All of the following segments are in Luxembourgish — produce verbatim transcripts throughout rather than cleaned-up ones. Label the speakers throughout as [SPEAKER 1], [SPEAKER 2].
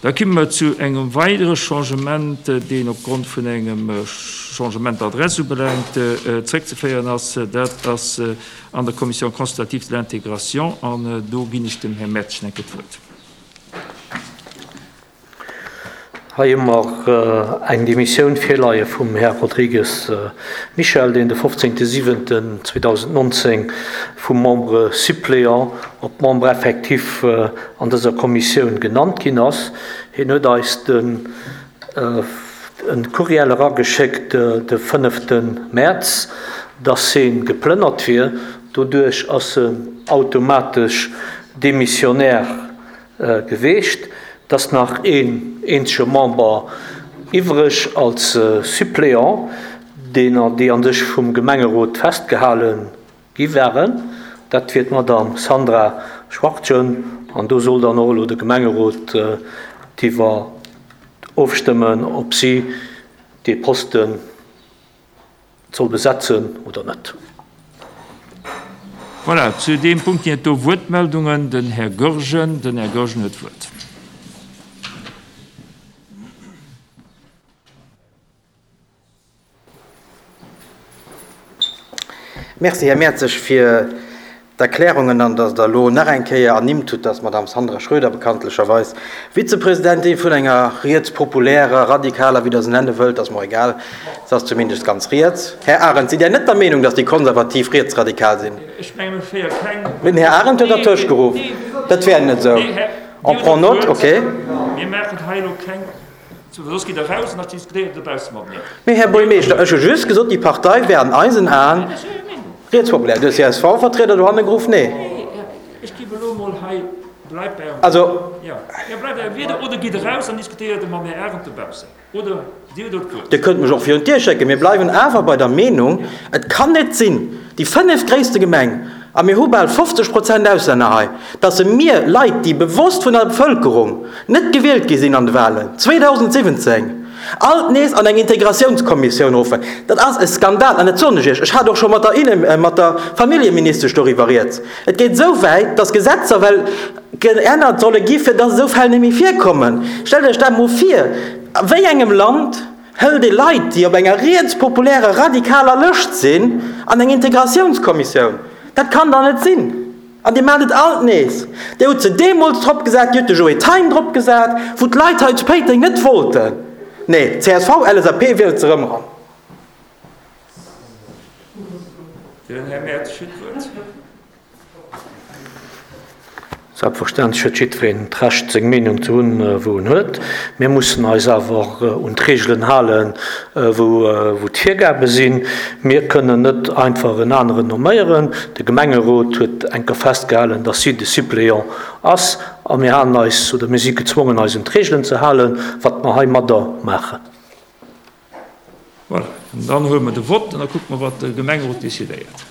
[SPEAKER 1] Da komme mer zu engem weidere Changement, deen opgrond vun engem Changement d'adresse ubelaangt zréckzeféieren ass. Dat ass an der Commission consultative de l'intégration an do ginn ech dem Här Mertsch enke d'Wuert.
[SPEAKER 2] Hei hu mer eng Demissioun virleie vum Här Rodrigues Michel, deen de fofzéngte siwenten zweedausendnonzéng vum Membre suppléant op Membre effectif an dëser Kommissioun genannt ginn ass. Hien huet eis den e Courriel erageschéckt de fënnefte Mäerz, dass hie geplënnert wier. Doduerch ass en automatesch Demissionnaire geweecht. Et ass nach een eenzege Member iwwreg als Suppléant, deen déi a sech vum Gemengerot festgehale gi waren. Dat wier d'Madame Sandra Schwachtgen. An do soll dann och elo de Gemengerot driwwer ofstëmmen, ob si dee Posten soll besetzen oder net.
[SPEAKER 1] Voilà, zu deem Punkt ginn et do Wuertmeldungen. Den Här Goergen, den Här Goergen huet d'Wuert.
[SPEAKER 3] Merci, Här Mertzig, fir d'Erklärungen an dass Der elo nach eng Kéier ernimmt hutt, dass d'Madame Sandra Schröder bekanntlecherweis Vizepresidentin vun enger rietspopulärer, radikaler, wéi Der se nenne wëllt, ass mer egal, se ass zumindest ganz riets. Här Arendt, sidd Där net der Meenung, dass déi Konservativ rietsradikal sinn?
[SPEAKER 1] Ech menge mir féiere keng.
[SPEAKER 3] Mee den Här Arendt huet dertëscht geruff, dat wär net esou.
[SPEAKER 1] Nee,
[SPEAKER 3] On prend note, okay.
[SPEAKER 1] Mir maachen hei elo keng. Soss gitt Der raus an da diskutéiert Der dobausse mateneen.
[SPEAKER 3] Mee Här Buergermeeschter, ech hu just gesot, déi Partei wär an eisen Aen rietspopulär. De C S V-Vertrieder dohanne geruff, nee.
[SPEAKER 1] Ech géif elo emol hei, bleift bei Ärem
[SPEAKER 3] Also.
[SPEAKER 1] Jo, jo, bleift bei Ärem Wieder oder gitt eraus an diskutéiert mam Här Arendt dobaussen. Oder Dir hutt elo d'Wuert.
[SPEAKER 3] Dir kënnt mech och virun d'Dier schécken. Mir bleiwen awer bei der Meenung, et kann net sinn, déi fënnefgréisste Gemeng, a mir hu bal fofzeg Prozent Auslänner hei, dass se mir Leit, déi bewosst vun der Bevëlkerung net gewielt gi sinn an de Wahlen zweedausendsiwwenzéng, alt nees an eng Integratiounskommissioun ruffen. Dat ass e Skandal, an dat soen ech Iech. Ech hat och scho mat der Inne-, mat der Familljeministesch doriwwer rieds. Et geet esou wäit, dass Gesetzer well geännert solle gi fir dass esou Fäll net méi virkommen. Stellt Iech dat emol vir, a wéi engem Land hëlt ee Leit, déi op enger rietspopulärer, radikaler Lëscht sinn, an eng Integratiounskommissioun? Dat kann dach net sinn! An Dir maacht et alt nees. Dir hutt se deemools drop gesat, Dir hutt de Joe Thein drop gesat, wou d'Leit hei zu Péiteng net wollten. Nee, C S V, L S A P wielt se erëm eran.
[SPEAKER 1] Den Här Mertsch huet d'Wuert.
[SPEAKER 2] Selbstverständlech huet jiddwereen d'Recht, seng Meenung ze hunn, wou en huet. Mir mussen eis awer un d'Reegelen halen, wou d'Virgabe sinn. Mir kënnen net einfach en aneren nomméieren. De Gemengerot huet enker festgehalen, dass si de Suppléant ass, a mir halen eis, oder mir si gezwongen, eis un d'Reegelen ze halen, wat mer heimadder maachen.
[SPEAKER 1] Voilà, an dann huele mer de Vott an da kucke mer, wat de Gemengerot decidéiert.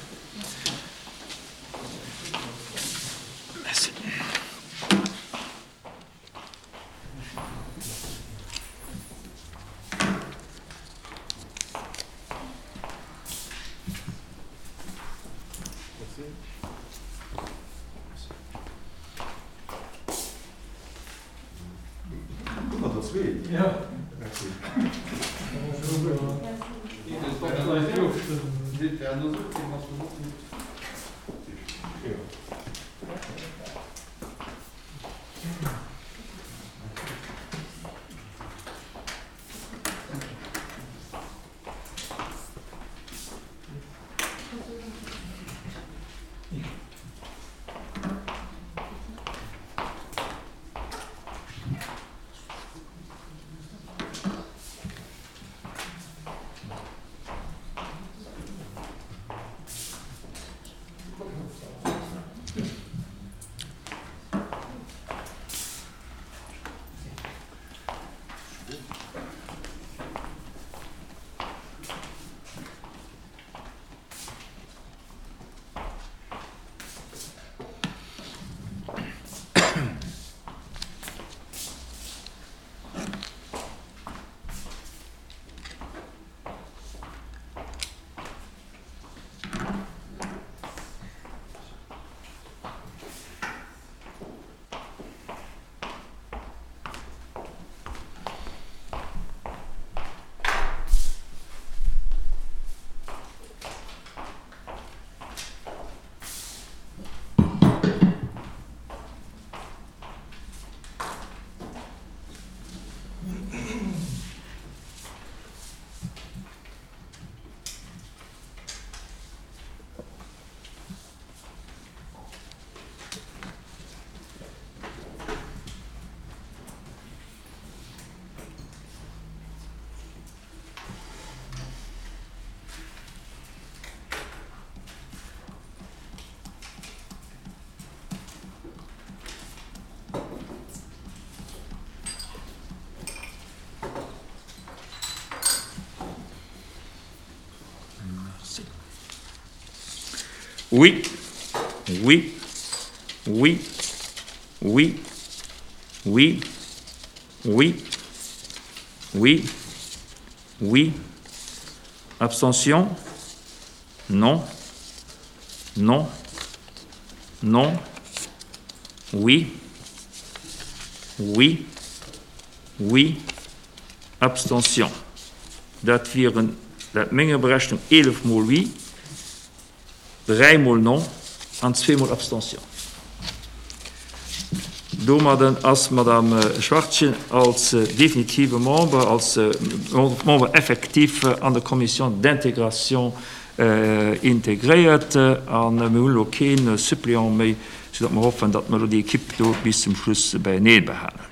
[SPEAKER 1] Merci. Oui. Oui. Oui. Oui. Oui. Oui. Oui. Oui. Abstention? Non. Non. Non. Oui. Oui. Oui. Abstention. Dat wieren, laut menger Berechnung, eelef Mol Oui, dräi Mol Non an zwee Mol Abstention. Domadden ass d'Madame Schwachtgen als definitive Member, als Membre effectif an der Commission d'intégration integréiert a mir hunn elo kee Suppléant méi, soudatt mer hoffen, datt mer elo déi Equipe do bis zum Schluss beienee behalen.